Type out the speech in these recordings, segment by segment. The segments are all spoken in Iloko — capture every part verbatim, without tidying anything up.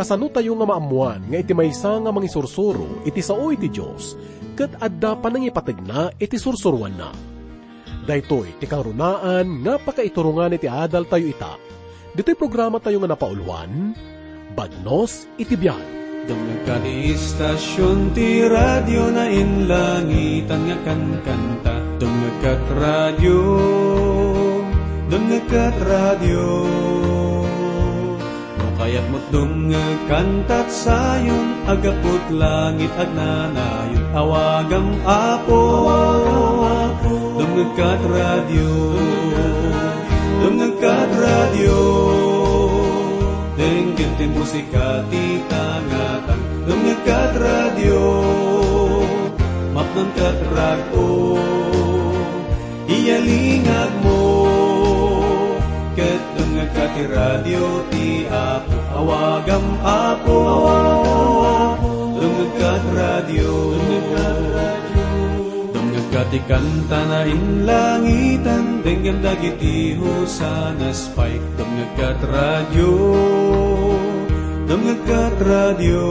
Kasano tayo nga maammoan nga iti maysa nga mangisursuro iti sao iti Dios ket adda panangipategna iti sursuroanna? Daytoy ti kangrunaan nga pakaiturongan iti adaltayo ita. Ditoy programatayo nga napauluan, Bagnos iti Biag. Dumngegka ti istasion ti radio nainlangitan nga kankanta. Dumngegka radio, dumngegka radio. No kayatmo dumngeg kantad Sion, aggapu't langit agnanayon, awagam Apo. Dumngegkat radio, dumngegkat radio. Denggen ti musika ti tangatang. Dumngegkat radio, mapnonkat rag-o. Iyalingagmo, ket dumngegka ti radio ti Apo. Awagam Apo, dumngegka ti radio. Dumngegka ti kanta nainlangitan, denggem dagiti hosanas pay. Dumngegka ti radio, dumngegka ti radio.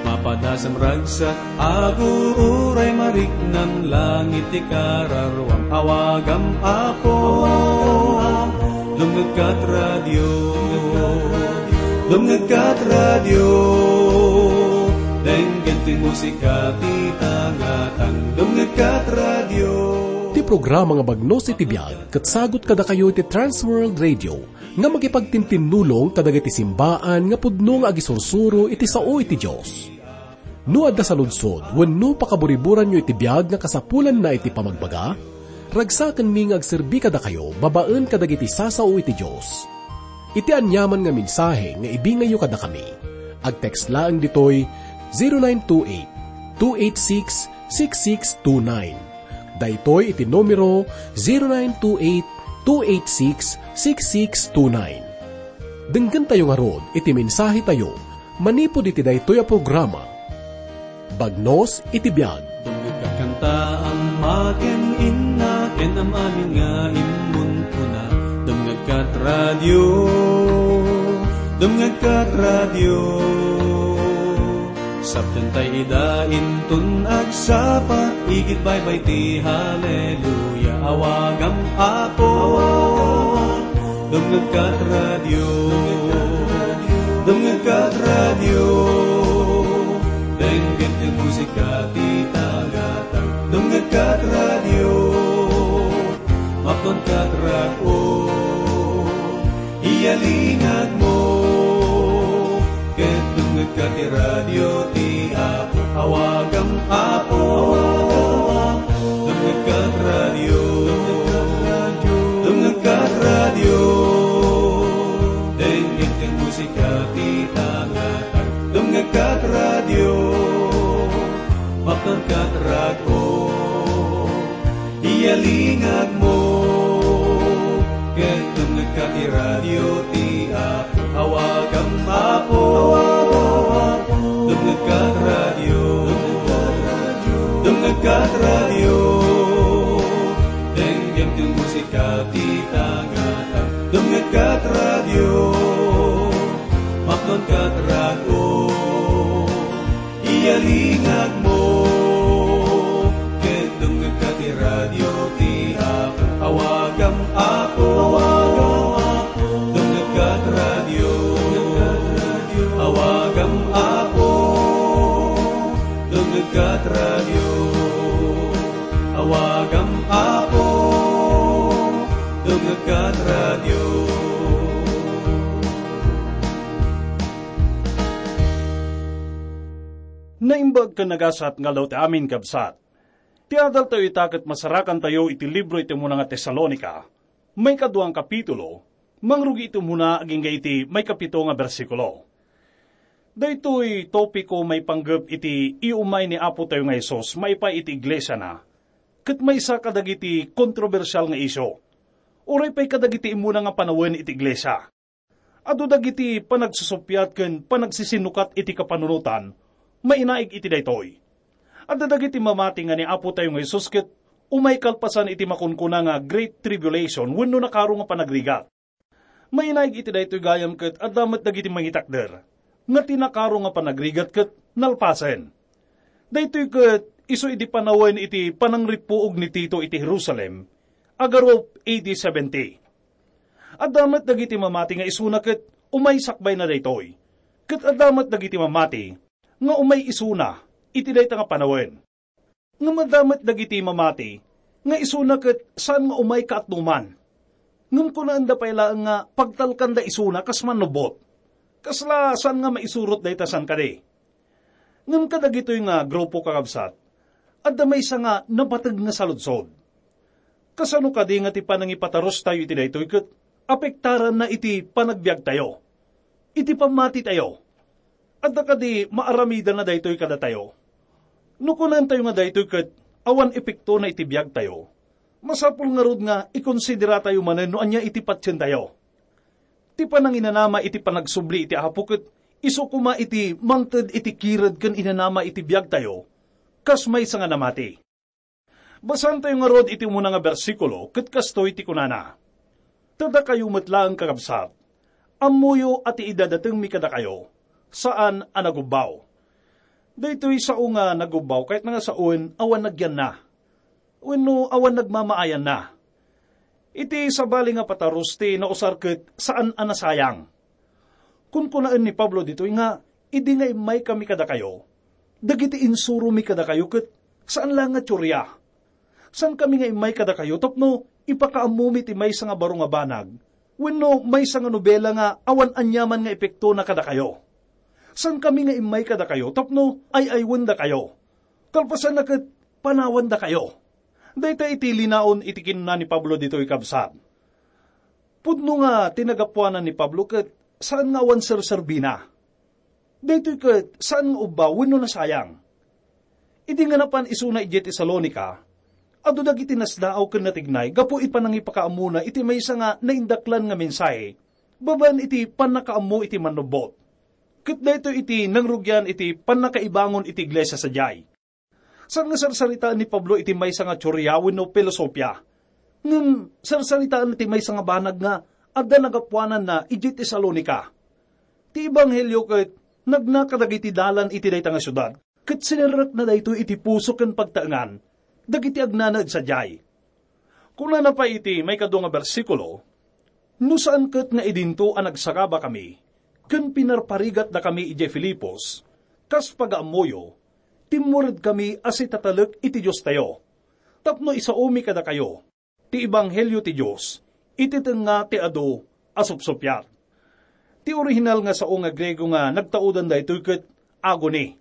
Mapadasem ragsak, agururay mariknan langit ti kararuam. Awagam Apo, dumngegkat radio, dumngegkat radio. Denggen ti musika ti tangatang, dumngegkat radio. Ti programa nga Bagnos iti Biag ket sagut kadakayo iti Trans World Radio nga makipagtintinnulong kadagiti simbaan nga pudno nga agisursuro iti sao iti Dios. No adda saludsod wenno pakaburiburanyo iti biag nga kasapulanna iti pamagbaga, ragsakenmi nga agserbi kadakayo babaen kadagiti sasao iti Dios. Iti aniaman nga mensahe nga ibingayyo kadakami, agtext laeng ditoy zero nine two eight, two eight six, six six two nine. Daytoy iti numero zero nine two eight, two eight six, six six two nine. Denggentayo ngarud iti mensahetayo manipud iti daytoy a programa. Bagnos iti biag. Dumngegka kanta, ama ken inna, ken am-amin nga immun kuna. Dumngegkat radio, dumngegkat radio. Saptentay ida inton agsapa, igid baybay ti haleluya, awagam Apo. Dumngegkat radio, dumngegkat radio, denggen ti musika ti tagatang. Dumngegkat radio, mapnonkat rag-o. Iyalingagmo, ket dumngegka ti radio ti Apo. Awagam Apo, dumngegka ti radio, dumngegka ti radio. Denggen ti musika ti tangatang, dumngegka ti radio, mapnonkat rag-o. Iyalingagmo, ket dumngegka ti radio ti Apo. Awagam Apo, dumngegka ti radio, dumngegka ti radio. Denggen ti musika ti tangatang, dumngegka ti radio, mapnonkat rag-o. Iyalingagmo, ket dumngegka ti radio ti Apo. Awagam Apo, dumngegka ti radio, awagam Apo, dumngegka ti radio, awagam Apo, dumngegka ti radio. Naimbag ken nagasat nga aldaw ti amin, kabsat. Ti adaltayo ita ket masarakantayo iti libro iti umuna nga Tesalonica, maikadua nga kapitulo, mangrugi iti umuna agingga iti maikapito nga bersikulo. Daytoy topiko maipanggep iti iumay ni Apotayo nga Jesus maipaay iti iglesiana, ket maysa kadagiti kontrobersial nga isyu, uray pay kadagiti immuna nga panawen iti iglesia. Adu dagiti panagsusuppiat ken panagsisinukat iti kapanunotan, mainaig iti daytoy. Adda dagiti mamati nga ni Apotayo nga Jesus ket umay kalpasan iti makunkuna nga Great Tribulation wenno nakaro nga panagrigat. Mainaig iti daytoy gayam ket adda met dagiti mangitakder nga ti nakaro nga panagrigat ket nalpasen. Daytoy ket isu idi panawen iti panangrippuog ni Tito iti Jerusalem, agarup A D seventy. Adda met dagiti mamati nga isuna ket umay sakbayna daytoy. Ket adda met dagiti mamati nga umay isuna iti dayta nga panawen. Ngem adda met dagiti mamati nga isuna ket saan nga umay kaatduman. Ngem kunaenda pay laeng nga pagtalkanda isuna kas mannubbot. Kasla saan nga maisurot dayta saan kadi? Ngem kadagitoy nga grupo, kakabsat, adda maysa nga napateg nga saludsod. Kasano kadi nga ti panangipatarustayo iti daytoy ket apektaranna iti panagbiagtayo, iti pammatitayo? Adda kadi maaramidanna daytoy kadatayo? No kunantayo nga daytoy ket awan epektona iti biagtayo, masapul ngarud nga ikonsideratayo manen no ania iti patientayo. Ti pananginanama iti panagsubli iti Apo ket isu koma iti mangted iti kired ken inanama iti biagtayo, kas maysa nga namati. Basaentayo ngarud iti umuna nga bersikulo ket kastoy ti kunana, "Ta dakayo met laeng, kakabsat, ammoyo a ti idadatengmi kadakayo, saan a nagubbaw." Daytoy sao nga nagubbaw, kayatna nga saoen awan nagyanna wenno awan nagmamaayanna. Iti sabali nga patarus ti nausar ket saan a nasayang. Kunkunaen ni Pablo ditoy nga, idi nga immaykami kadakayo, dagiti insuromi kadakayo ket saan la nga tsuria. Saankami nga immay kadakayo tapno ipakaammomi ti maysa nga baro nga banag wenno maysa nga nobela nga awan aniaman nga epektona kadakayo. Saankami nga immay kadakayo tapno ay-aywendakayo. Kalpasanna ket panawandakayo. Dayta iti linaon iti kinuna ni Pablo ditoy, kabsat. Pudno nga ti nagapuanan ni Pablo ket saan nga awan serserbina. Daytoy ket saan nga ubbaw wenno nasayang. Idi nga napan isuna idiay Tesalonica, adu dagiti nasdaaw ken natignay gapu iti panangipakaammona iti maysa nga naindaklan nga mensahe babaen iti pannakaammo iti mannubbot. Ket daytoy iti nangrugian iti pannakaibangon iti iglesia sadiay. Saan nga sarsaritaen ni Pablo iti maysa nga teoria wenno filosofia. Ngem sarsaritaenna ti maysa nga banag nga adda nagapuananna idiay Tesalonica. Ti ebanghelio ket nagna kadagiti dalan iti dayta nga siudad, ket sinerrekna daytoy iti puso ken pagtaengan dagiti agnanaed sadiay. Kunana pay iti maikadua nga bersikulo, "No saan ket nga idinto a nagsagabakami ken pinarparigatdakami idiay Filipos, kas pagaammoyo, timmuredkami a sitatalek iti Diostayo, tapno isaomi kadakayo ti ebanghelio ti Dios iti tengnga ti adu a supsuppiat." Ti orihinal nga sao nga Griego nga nagtaudan daytoy ket agony,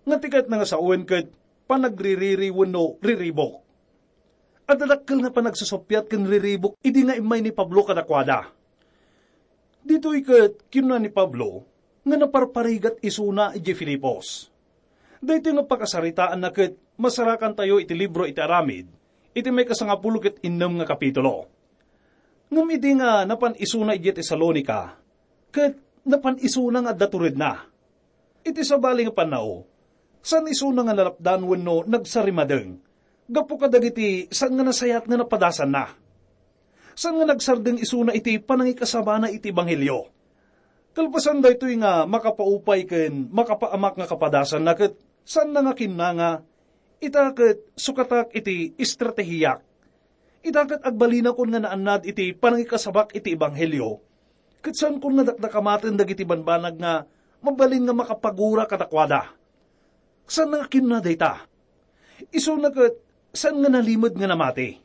nga ti kayatna nga saoen ket panagririri wenno riribuk. Adda dakkel nga panagsusuppiat ken riribuk idi nga immay ni Pablo kadakuada. Ditoy ket kinuna ni Pablo nga naparparigat isuna idiay Filipos. Daytoy nga pakasaritaanna ket masarakantayo iti libro iti Aramid, iti maikasangapulo ket innem nga kapitulo. Ngem idi nga napan isuna idiay Tesalonica, ket napan isuna nga adda turedna. Iti sabali nga pannao, saan isuna nga nalapdan wenno nagsarimadeng gapu kadagiti saan nga nasayaat nga napadasanna. Saan nga nagsardeng isuna iti panangikasabana iti ebanghelio. Kalpasan daytoy nga makapaupay ken makapaamak nga kapadasanna ket saanna nga kinuna nga, "Ita ket sukatak iti estratehiak. Ita ket agbalinakon nga naannad iti panangikasabak iti ebanghelio, ket saankon nga dakdakamaten dagiti banbanag nga mabalin nga makapagura kadakuada." Saanna nga kinuna dayta. Isuna ket saan nga nalimed nga namati.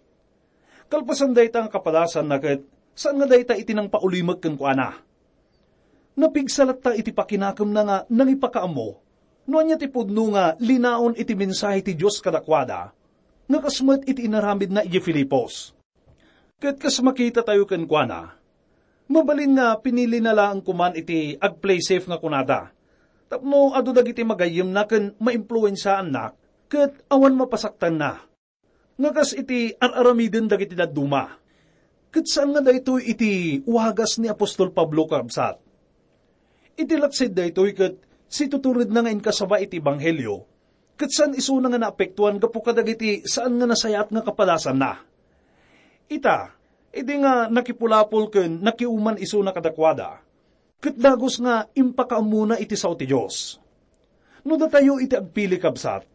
Kalpasan dayta nga kapadasanna ket saan nga dayta iti nangpaulimek kenkuana. Napigsa latta iti pakinakemna nga nangipakaammo no ania ti pudno nga linaon iti mensahe ti Dios kadakuada, nga kas met iti inaramidna idiay Filipos. Ket kas makitatayo kenkuana, mabalin nga pinilina laeng koman iti ag-play safe nga kunada, tapno adu dagiti magayyemna ken maimpluensiaanna ket awan mapasaktanna. Nga kas iti ar-aramiden dagiti dadduma. Ket saan nga daytoy iti wagas ni apostol Pablo, kakabsat. Iti laksid daytoy ket situturedna nga inkasaba iti ebanghelio, ket saan isuna nga naapektuan gapu kadagiti saan nga nasayaat nga kapadasanna. Ita, Idi nga nakipulapol ken nakiuman isuna kadakuada, ket dagus nga impakaammona iti sao ti Dios. No datayo iti agpili, kabsat,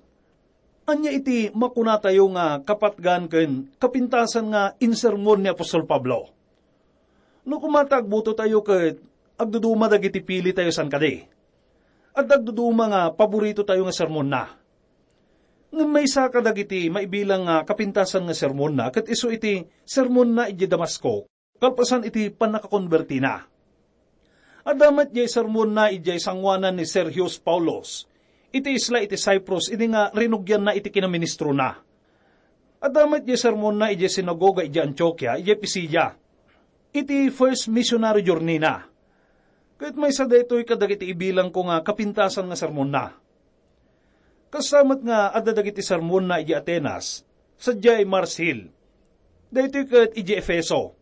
ania iti makunatayo nga kapatgan ken kapintasan nga insermon ni apostol Pablo? No koma ta agbutotayo ket agduduma dagiti pilitayo, saan kadi? Adda agduduma nga paboritotayo nga sermonna. Ngem maysa kadagiti maibilang nga kapintasan nga sermonna ket isu iti sermonna idiay Damasco, kalpasan iti pannakakonbertina. Adda met diay sermonna idiay sangoanan ni Sergius Paulus, iti isla iti Cyprus, idi nga rinugianna iti kinaministrona. Adda met diay sermonna idiay sinagoga idiay Antiokia, idiay Pisidia, iti first missionary journey-na. Ket maysa daytoy kadagiti ibilangko nga kapintasan nga sermonna. Kasta met nga adda dagiti sermonna idiay Atenas, sadiay Mars Hill. Daytoy ket idiay Efeso,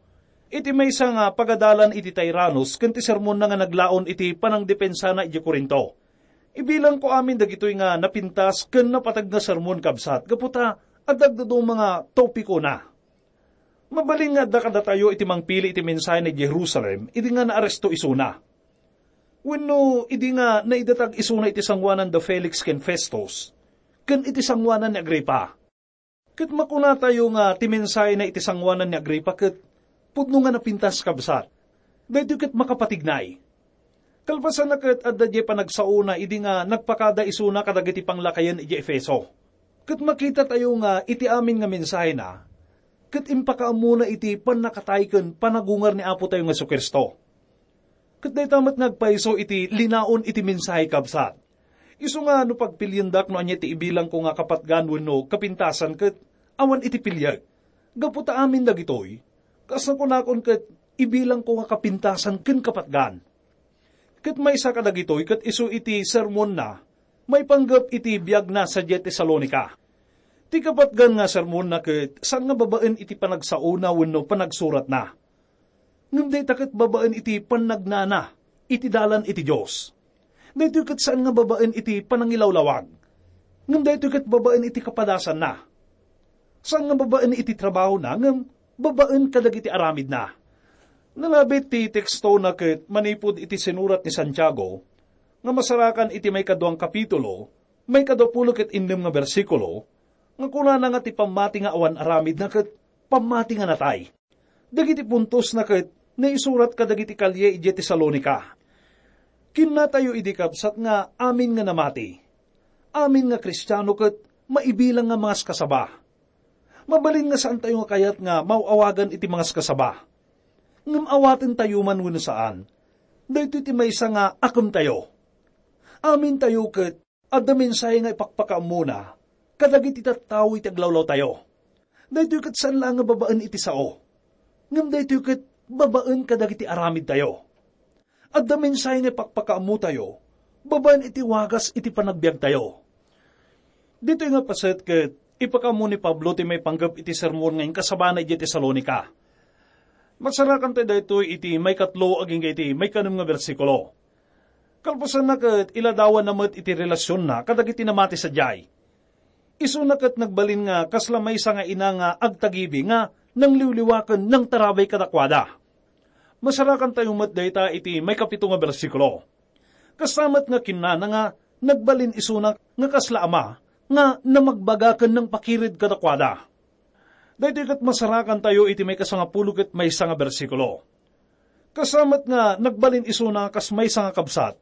iti maysa nga pagadalan iti Tyrannus ken ti sermonna nga naglaon iti panangdepensana idiay Corinto. Ibilangko amin dagitoy nga napintas ken napateg nga sermon, kabsat, gapu ta adda agduduma nga topikona. Mabalin nga adda kadatayo iti mangpili iti mensahena idiay Jerusalem idi nga naaresto isuna. Wenno idi nga naidatag isuna iti sangoanan da Felix ken Festus, ken iti sangoanan ni Agripa. Ket makunatayo nga ti mensahena iti sangoanan ni Agripa ket pudno nga napintas, kabsat. Daytoy ket makapatignay. Kalpasanna ket adda diay panagsaona idi nga nagpakada isuna kadagiti panglakayen idiay Efeso. Ket makitatayo nga iti amin nga mensahena, ket impakaammona iti pannakatay ken panagungar ni Apotayo nga Jesu-Cristo. Ket dayta met nga agpayso iti linaon iti mensahe, kabsat. Isu nga no pagpiliendak no ania ti ibilangko nga kapatgan wenno kapintasan ket awan iti piliek. Gapu ta amin dagitoy, kas nakunakon ket ibilangko nga kapintasan ken kapatgan. Ket maysa kadagitoy ket isu iti sermonna maipanggep iti biagna sadiay Tesalonica. Ti kapatgan nga sermonna ket saan nga babaen iti panagsaona wenno panagsuratna. Ngem dayta ket babaen iti pannagnana iti dalan iti Dios. Daytoy ket saan nga babaen iti panangilawlawag, ngem daytoy ket babaen iti kapadasanna. Saan nga babaen iti trabahona, ngem babaen kadagiti aramidna. Nalabit ti tekstona ket manipud iti sinurat ni Santiago, nga masarakan iti maikaduang kapitulo, maikadua pulo ket innem nga bersikulo, nga kunana nga ti pammati nga awan aramidna ket pammati nga natay. Dagiti puntosna ket naisurat kadagiti kalie idiay Tesalonica. Kinnatayo idi, kabsat, nga amin nga namati, amin nga Kristiano ket maibilang nga mangaskasaba. Mabalin nga saantayo nga kayat nga maaw-awagan iti mangaskasaba. Ngem awatentayo man wenno saan, daytoy ti maysa nga akemtayo. Amintayo ket adda mensahe nga ipakpakaammona kadagiti tattao iti aglawlawtayo. Daytoy ket saan laeng nga babaen iti sao, ngem daytoy ket babaen kadagiti aramidtayo. Adda mensahe nga ipakpakaammotayo babaen iti wagas iti panagbiagtayo. Ditoy nga paset ket ipakaammo ni Pablo ti maipanggep iti sermon nga inkasabana idiay Tesalonica. Masarakan tayo daytoy iti maikatlo agingga iti maikanem nga bersikulo. Kalpasanna ket iladawanna met iti relasionna kadagiti namati sadiay. Isuna ket nagbalin nga kasla maysa nga ina nga agtagibi nga nangliwliwa ken nangtarabay kadakuada. Masarakan tayo met dayta iti maikapito nga bersikulo. Kasta met nga kinnana nga nagbalin isuna nga kasla ama nga namagbaga ken nangpakired kadakuada. Daytoy ket masarakan tayo iti maikasangapulo ket maysa nga bersikulo. Kasta met nga nagbalin isuna kas maysa nga kabsat,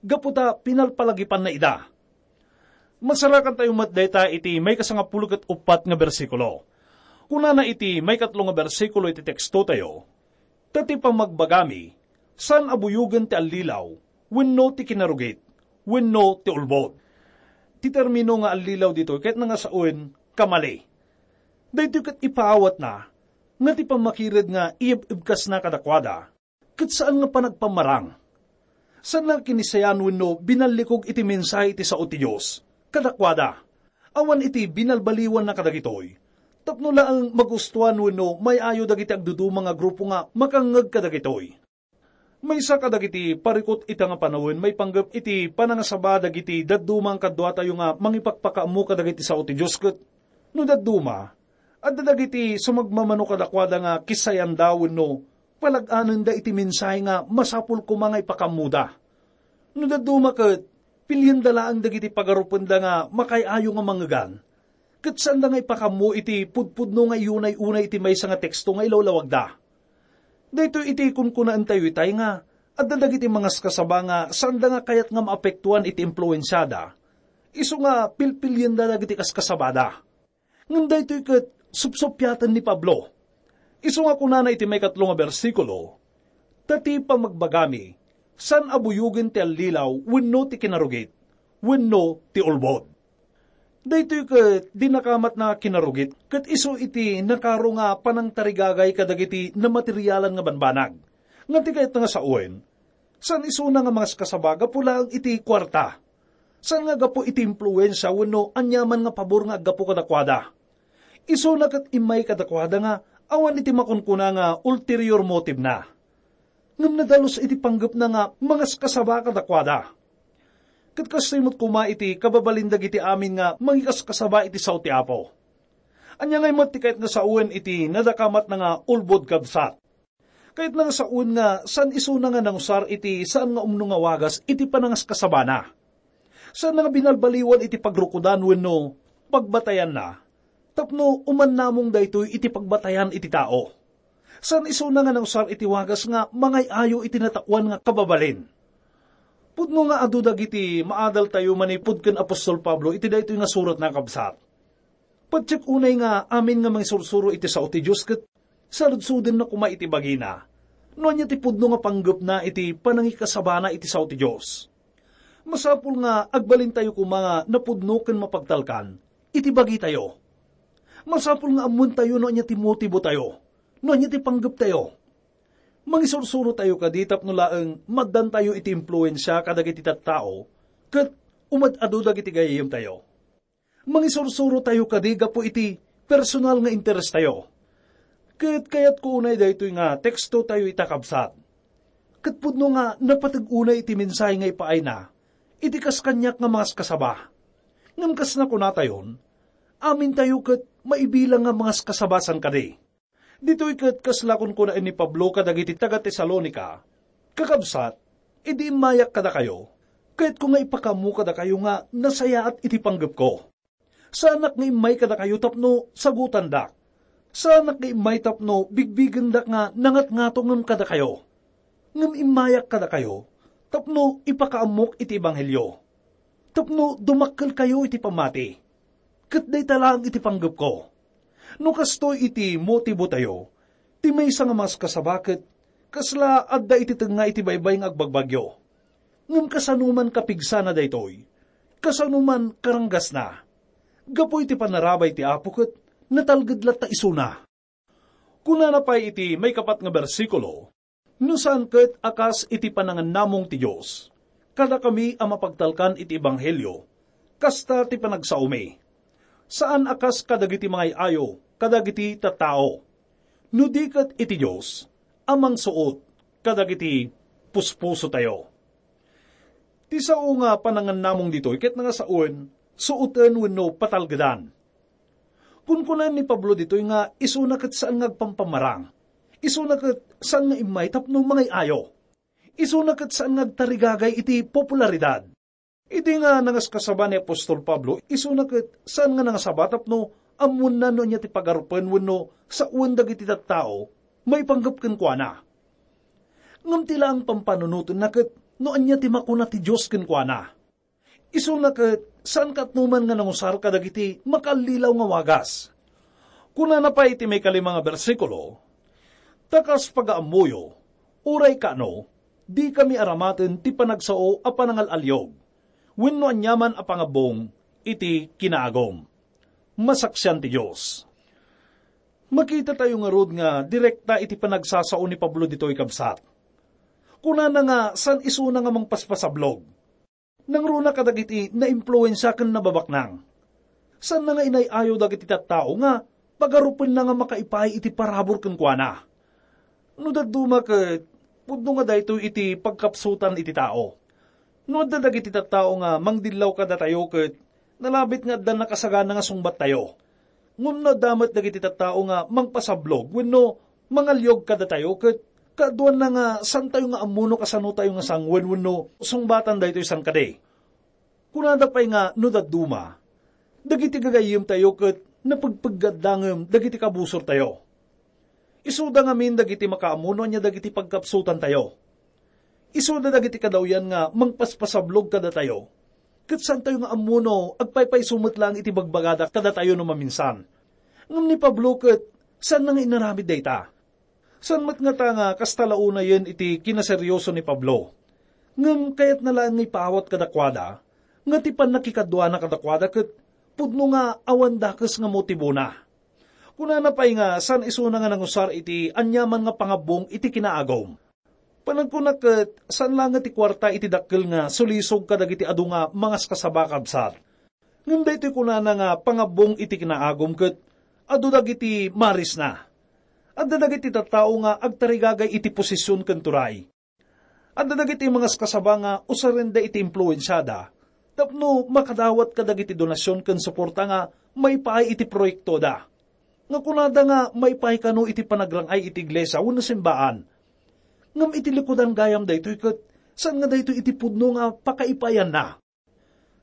gapu ta pinalpalagipanna ida. Masarakan tayo met dayta iti maikasangapulo ket uppat nga bersikulo. Kunana iti maikatlo nga bersikulo iti teksto tayo, "Ta ti pamagbagami, saan a buyogen ti allilaw, wenno ti kinarugit, wenno ti ulbod." Ti termino nga allilaw ditoy ket nangasawen kamali. Daytoy ket ipaawatna nga ti pammakired nga iyeb-ebkasna kadakuada, ket saan nga panagpammarang. Saan nga kinisayan wenno binallikog iti mensahe iti sao ti Dios kadakuada. Awan iti binalbaliwanna kadagitoy, tapno laeng magustuan wenno may-ayo dagiti agduduma nga grupo nga makangngeg kadagitoy. Maysa kadagiti parikut ita nga panawen maipanggep iti panangasaba dagiti dadduma nga kaduatayo nga mangipakpakaammo kadagiti sao ti Dios ket, no dadduma, Adda dagiti sumagmamano kadakuada nga kisayanda wenno palag-anenda iti mensahe nga masapul koma nga ipakaammoda. No dadduma ket, pilienda laeng dagiti pagarupenda nga makaay-ayo nga mangngegan, ket saanda nga ipakaammo iti pudpudno nga iyunay-unay iti maysa nga teksto nga ilawlawagda. Daytoy iti kunkunaentayo itay nga adda dagiti mangaskasaba nga saanda nga kayat nga maapektuan iti impluensiada, isu nga pilpilienda dagiti kaskasabada. Ngem daytoy ket supsuppiaten ni Pablo. Isu nga kunana iti maikatlo nga bersikulo, "Ta ti pamagbagami, saan a buyogen ti allilaw wenno ti kinarugit, wenno ti ulbod." Daytoy ket di nakamatna kinarugit ket isu iti nakaro nga panangtarigagay kadagiti namaterialan nga banbanag, nga ti kayatna nga sawen, saan isuna nga mangaskasaba gapu laeng iti kuarta. Saan nga gapu iti impluensia wenno aniaman nga pabor nga aggapu kadakuada. Isuna ket immay kadakuada nga awan iti makunkuna nga ulterior motive na. Ngem nadalus iti panggepna nga mangaskasaba kadakuada. Ket kastoy met koma iti kababalin dagiti amin nga mangikaskasaba iti sao ti Apo. Ania ngay met ti kayat nga sawen iti nadakamatna nga ulbod, kabsat? Kayatna nga sawen nga saan isuna nga nangusar iti saan nga umno nga wagas iti panangaskasabana. Saan nga binalbaliwan iti pagrukodan wenno pagbatayanna tapno umannamong daytoy iti pagbatayan iti tao. Saan isuna nga nangusar iti wagas nga mangay-ayo iti natakuan nga kababalin. Pudno nga adu dagiti maadaltayo manipud ken apostol Pablo iti daytoy nga suratna, kabsat. Patiek unay nga amin nga mangisursuro iti sao ti Dios ket saludsodna koma iti bagina no ania ti pudno nga panggepna iti panangikasabana iti sao ti Dios. Masapul nga agbalintayo koma nga napudno ken mapagtalkan iti bagitayo. Masapul nga ammoentayo no ania ti motibotayo, no ania ti panggeptayo. Mangisursurotayo kadi tapno laeng maddantayo iti impluensia kadagiti tattao ket umad-adu dagiti gayyemtayo. Mangisursurotayo kadi gapu iti personal nga interestayo. Ket kayatko unay daytoy nga tekstotayo ita, kabsat. Ket pudno nga napateg unay iti mensahe nga ipaayna iti kas kaniak nga mangaskasaba. Ngem kas nakunatayon, amintayo ket maibilang nga mangaskasaba san kadi. Ditoy ket kasla kunkunaen ni Pablo kadagiti taga-Tesalonica, "Kakabsat, idi immayak kadakayo, kayatko nga ipakaammo kadakayo nga nasayaat iti panggepko. Saanak nga immay kadakayo tapno sagutandak. Saanak nga immay tapno bigbigendak nga nangatngatongem kadakayo. Ngem immayak kadakayo tapno ipakaammok iti ebanghelio, tapno dumakkelkayo iti pammati. Ket dayta laeng iti panggepko. No kastoy iti motibotayo, ti maysa nga mangaskasaba ket kasla adda iti tengnga iti baybay nga agbagbagyo. Ngem kasano man kapigsana daytoy, kasano man karanggasna, gapu iti panarabay ti Apo ket natalged latta isuna." Kunana pay iti maikapat nga bersikulo, "No saan ket a kas iti panangannamong ti Dios kadakami a mapagtalkan iti ebanghelio, kasta ti panagsaomi. Saan a kas kadagiti mangay-ayo kadagiti tattao, no di ket iti Dios a mangsuot kadagiti puspusotayo." Ti sao nga panangannamong ditoy ket nangasawen, suoten wenno patalgedan. Kunkunaen ni Pablo ditoy nga isuna ket saan nga agpampamarang. Isuna ket saan nga immay tapno mangay-ayo. Isuna ket saan nga agtarigagay iti popularidad. Idi nga nangaskasaba ni apostol Pablo, isuna ket saan nga nangasaba tapno ammoenna no ania ti pagarupen wenno sawen dagiti tattao maipanggep kenkuana. Ngem ti laeng pampanunotenna ket no ania ti makuna ti Dios kenkuana. Isuna ket saan ket no man nga nangusar kadagiti makaallilaw nga wagas. Kunana pay iti maikalima nga bersikulo, "Ta kas pagaammoyo, uray kano, dikami aramaten ti panagsao a panangal-aliog, wenno aniaman a pangabbong iti kinaagum. Masaksian ti Dios." Makitatayo ngarud nga direkta iti panagsasao ni Pablo ditoy, kabsat. Kunana nga saan isuna nga mangpaspasablog. Nangruna kadagiti naimpluensia ken nababaknang. Saanna nga inay-ayo dagiti tattao nga pagarupenna nga makaipaay iti parabur kenkuana. No dadduma ket pudno nga daytoy iti pagkapsutan iti tao. No adda dagiti tattao nga mangdillaw kadatayo ket nalabit nga adda nakasagana nga sungbattayo. Ngem no adda met dagiti tattao nga mangpasablog wenno mangaliog kadatayo ket kaaduanna nga santayo nga ammo no kasanotayo nga sanguen wenno sungbatan daytoy sangkadi. Kunada pay nga no dadduma, dagiti gagayyemtayo ket napegpeggadda ngem dagiti kabusortayo. Isuda ngamin dagiti makaammo no ania dagiti pagkapsutantayo. Isuda dagiti kadawyan nga mangpaspasablog kadatayo, ket santayo nga ammo no agpaypayso met laeng iti bagbagada kadatayo no maminsan. Ngem ni Pablo ket saanna nga inaramid dayta. Saan met ngata nga kasta la unayen iti kinaserioso ni Pablo. Ngem kayatna laeng nga ipaawat kadakuada nga ti pannakikaduana kadakuada ket pudno nga awan dakes nga motibona. Kunana pay nga saan isuna nga nangusar iti aniaman nga pangabbong iti kinaagum. Panagkunak ket saan laeng ti kuarta iti dakkel nga sulisog kadagiti adu nga mangaskasaba, kabsat. Ngem daytoy kunana nga pangabbong iti kinaagum ket adu dagiti marisna. Adda dagiti tattao nga agtarigagay iti posisyon ken turay. Adda dagiti mangaskasaba nga usarenda iti impluensiada tapno makadawat kadagiti donasyon ken suporta nga maipaay iti proyektoda. Nga kunada nga maipaay kano iti panagrang-ay iti iglesia wenno simbaan. Ngem iti likudan gayam daytoy ket saan nga daytoy iti pudno nga pakaipayanna.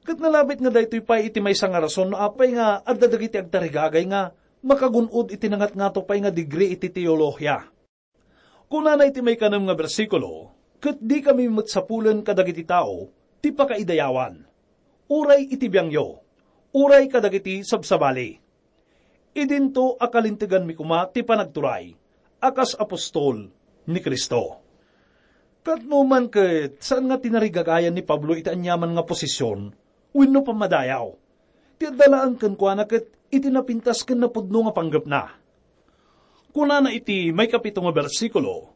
Ket nalabit nga daytoy pay iti maysa nga rason no apay nga adda dagiti agtarigagay nga makagun-od iti nangatngato pay nga degree iti teolohiya. Kunana iti maikanem nga bersikulo, "Ket dikami met sapulen kadagiti tao ti pakaidayawan, uray iti biangyo, uray kadagiti sabsabali. Idinto a kalinteganmi koma ti panagturay a kas apostol ni Cristo." Ket no man ket saan nga tinarigagayan ni Pablo iti aniaman nga posisyon wenno pammadayaw. Ti adda laeng kenkuana ket iti napintas ken napudno nga panggepna. Kunana iti maikapito nga bersikulo,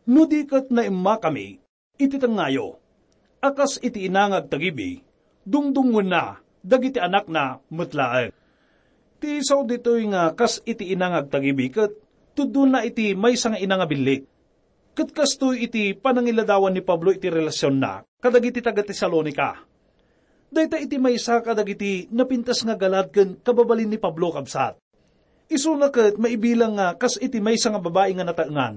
"No di ket naimmakami iti tengngayo, a kas iti ina nga agtagibi, dungdungngoenna dagiti anakna met laeng." Ti sao ditoy nga kas iti ina nga agtagibi ket tudonna iti maysa nga ina nga billit. Ket kastoy iti panangiladawan ni Pablo iti relasionna kadagiti taga-Tesalonica. Dayta iti maysa kadagiti napintas nga galad ken kababalin ni Pablo, kabsat. Isuna ket maibilang nga kas iti maysa nga babai nga nataengan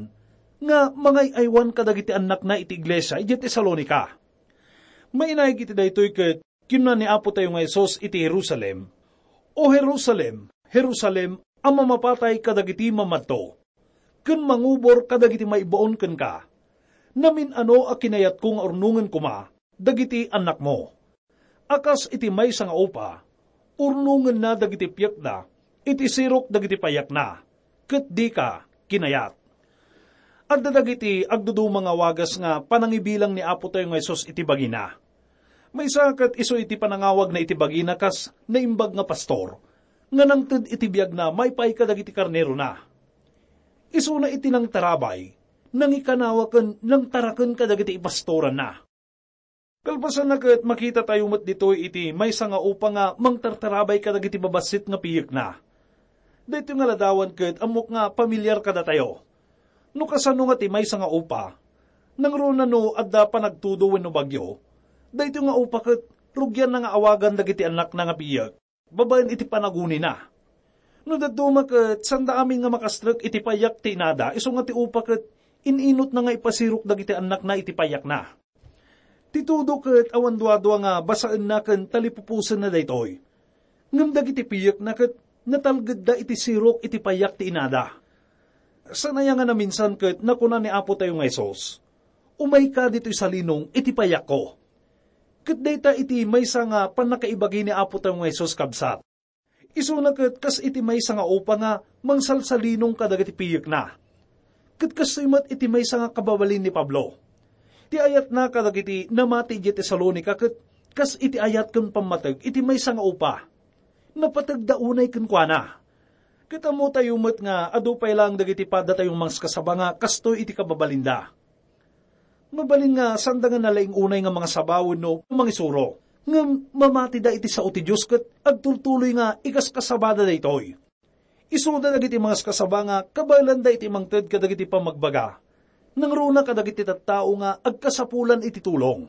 nga mangay-aywan kadagiti annakna iti iglesia idiay Tesalonica. Mainaig iti daytoy ket kinuna ni Apo tayo nga Jesus iti Jerusalem, "O Jerusalem, Jerusalem, a mamapatay kadagiti mamadto, ken mangubor kadagiti maibaon kenka, namin-ano a kinayatko nga urnongen koma dagiti annakmo. A kas iti maysa nga upa, urnongenna dagiti piekda iti sirok dagiti payakna, ket dika kinayat." Adda dagiti agduduma nga wagas nga panangibilang ni Apo tayo nga Jesus iti bagina. Maysa ket isu iti panangawagna iti bagina kas naimbag nga pastor, nga nangted iti biagna maipaay kadagiti karnerona. Isuna iti nangtarabay, nangikanawa ken nangtaraken kadagiti ipastoranna. Kalpasanna ket makitatayo met ditoy iti maysa nga upa nga mangtartarabay kadagiti babassit nga piyekna. Daytoy nga ladawan ket ammok nga pamilyar kadatayo. No kasano nga ti maysa nga upa, nangruna no adda panagtudo wenno bagyo, daytoy nga upa ket rugianna nga awagan dagiti annakna nga piyek babaen iti panagunina. No dadduma ket sanda amin nga makastrek iti payak ti inada, isu nga ti upa ket in-inutna nga ipasirok dagiti annakna iti payakna. Ti tudo ket awan duadua nga basaenna ken talipuposenna daytoy. Ngem dagiti piyekna ket natalgedda iti sirok iti payak ti inada. Saan aya nga naminsan ket nakuna ni Apo tayo nga Jesus, "Umayka ditoy salinong iti payakko." Ket dayta iti maysa nga pannakaibagi ni Apo tayo nga Jesus, kabsat. Isuna ket kas iti maysa nga upa nga mangsalsalinong kadagiti piyekna. Ket kastoy met iti maysa nga kababalin ni Pablo. Ti ayatna kadagiti namati idiay Tesalonica ket kas iti ayat ken pammateg iti maysa nga upa. Napategda unay kenkuana. Ket ammotayo met nga adu pay laeng dagiti paddatayo nga mangaskasaba nga kastoy iti kababalinda. Mabalin nga sanda nga nalaing unay nga mangasaba wenno mangisuro, ngem mamatida iti sao ti Dios ket agtultuloy nga ikaskasabada daytoy. Isuda dagiti mangaskasaba nga kabaelanda iti mangted kadagiti pammagbaga. Nangruna kadagiti tattao nga agkasapulan iti tulong.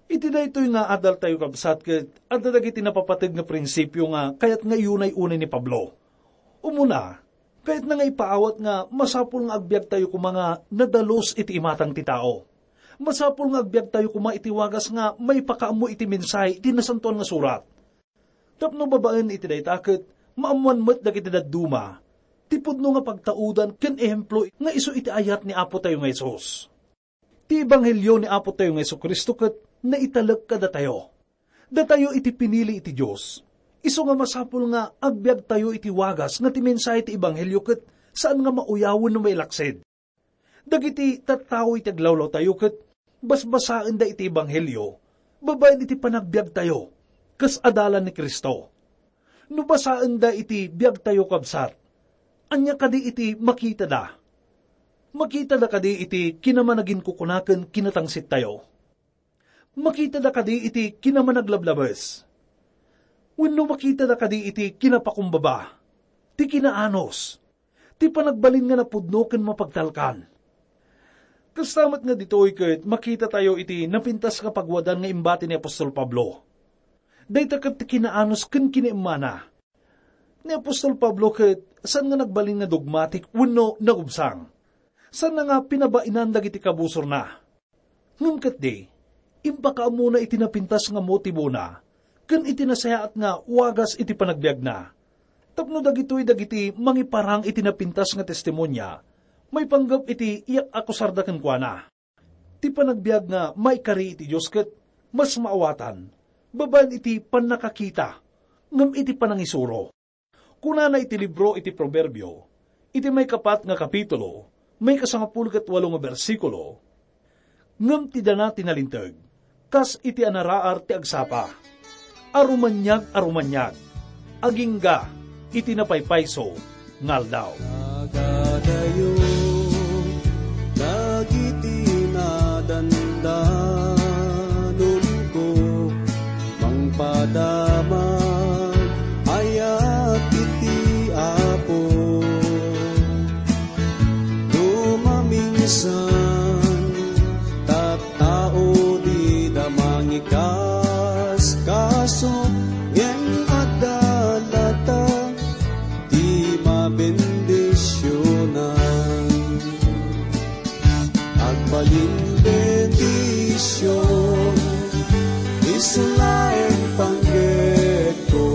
Iti daytoy nga adaltayo, kabsat, ket adda dagiti napapateg nga prinsipio nga kayat nga iyunay-unay ni Pablo. Umuna, kayatna nga ipaawat nga masapul nga agbiagtayo koma nga nadalus iti imatang ti tao. Masapul nga agbiagtayo koma iti wagas nga maipakaammo iti mensahe iti Nasantoan nga Surat. Tapno babaen iti dayta ket maammoan met dagiti dadduma ti pudno nga pagtaudan ken ehemplo nga isu iti ayat ni Apotayo nga Jesus. Ti ebanghelio ni Apotayo nga Jesu-Cristo ket naitalek kadatayo. Datayo iti pinili iti Dios. Isu nga masapul nga agbiagtayo iti wagas nga ti mensahe ti ebanghelio ket saan nga mauyawen no mailaksid. Dagiti tattao iti aglawlawtayo ket basbasaenda iti ebanghelio babaen iti panagbiagtayo kas adalan ni Cristo. No basaenda iti biagtayo, kabsat, ania kadi iti makitada? Makitada kadi iti kinamanaginkukuna ken kinatangsittayo? Makitada kadi iti kinamanaglablabes? Wenno makitada kadi iti kinapakumbaba, ti kinaanus, ti panagbalin nga napudno ken mapagtalkan? Kasta met nga ditoy ket makitatayo iti napintas nga pagwadan nga imbati ni apostol Pablo. Dayta ket ti kinaanus ken kinaimmana. Ni apostol Pablo ket saan nga nagbalin nga dogmatik wenno nagubsang. Saanna nga pinabainan dagiti kabusorna. Ngem ketdi, impakaammona iti napintas nga motibona ken iti nasayaat nga wagas iti panagbiagna. Tapno dagitoy dagiti mangiparang iti napintas nga testimonia maipanggep iti iyak-akusarda kenkuana. Ti panagbiag nga maikari iti Dios ket mas maawatan babaen iti pannakakita ngem iti panangisuro. Kunana iti libro iti Proverbio, iti maikapat nga kapitulo, maikasangapulo ket walo nga bersikulo, "Ngem ti dana ti nalinteg, kas iti anaraar ti agsapa. Arumaniag a rumaniag, agingga iti napaypayso nga aldaw." Nagadayo dagiti nadandanonko, mangpadama ayat iti Apo. No maminsan, tattao dida mangikaskaso, ngem adda latta ti mabendisionan. Agbalin bendision, isu laeng panggepko.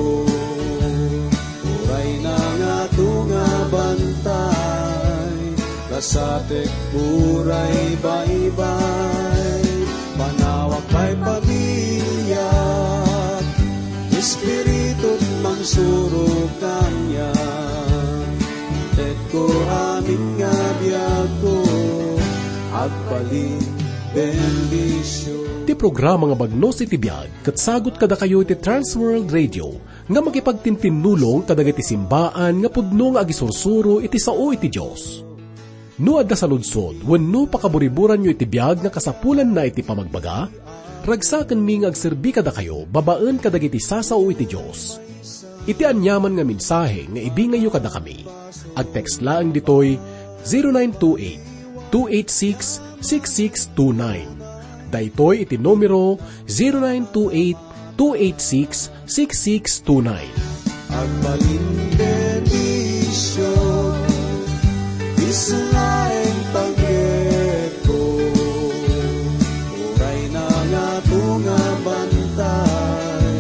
Uray nangato nga bantay, kasatek uray baybay, panawak pay pamiliak, Espiritu mangsurok kaniak. Intetko amin nga biagko, agbalin bendision. Ti programa nga Bagnos iti Biag ket sagut kadakayo iti Trans World Radio nga makipagtintinnulong kadagiti simbaan nga pudno nga agisursuro iti sao iti Dios. No adda saludsod wenno pakaburiburanyo iti biag nga kasapulanna iti pamagbaga, ragsakenmi nga agserbi kadakayo babaen kadagiti sasao iti Dios. Iti aniaman nga mensahe nga ibingayyo kadakami, agtext laeng ditoy zero nine two eight, two eight six, six six two nine. Daytoy iti numero zero nine two eight, two eight six, six six two nine. Agbalin bendision, isu laeng panggepko. Uray nangato nga bantay,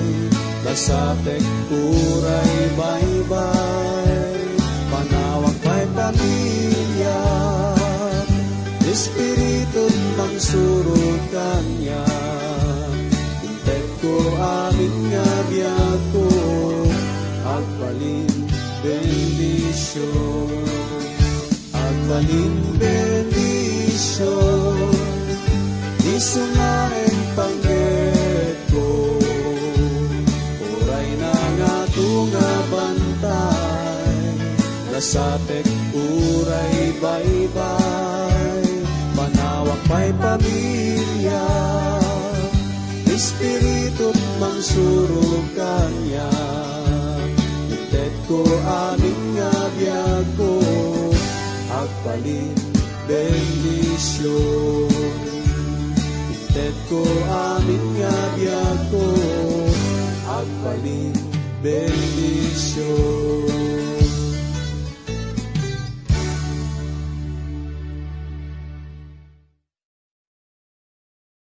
kasatek uray baybay, panawak pay pamiliak, Espiritu mangsurok kaniak. Intetko amin nga biagko, agbalin bendision. Agbalin bendision, isu laeng panggepko. Uray nangato nga bantay, kasatek uray baybay, panawak pay pamiliak, Espiritu mangsurok kaniak. Intetko amin nga biagko, agbalin bendision. Intetko amin nga bendición.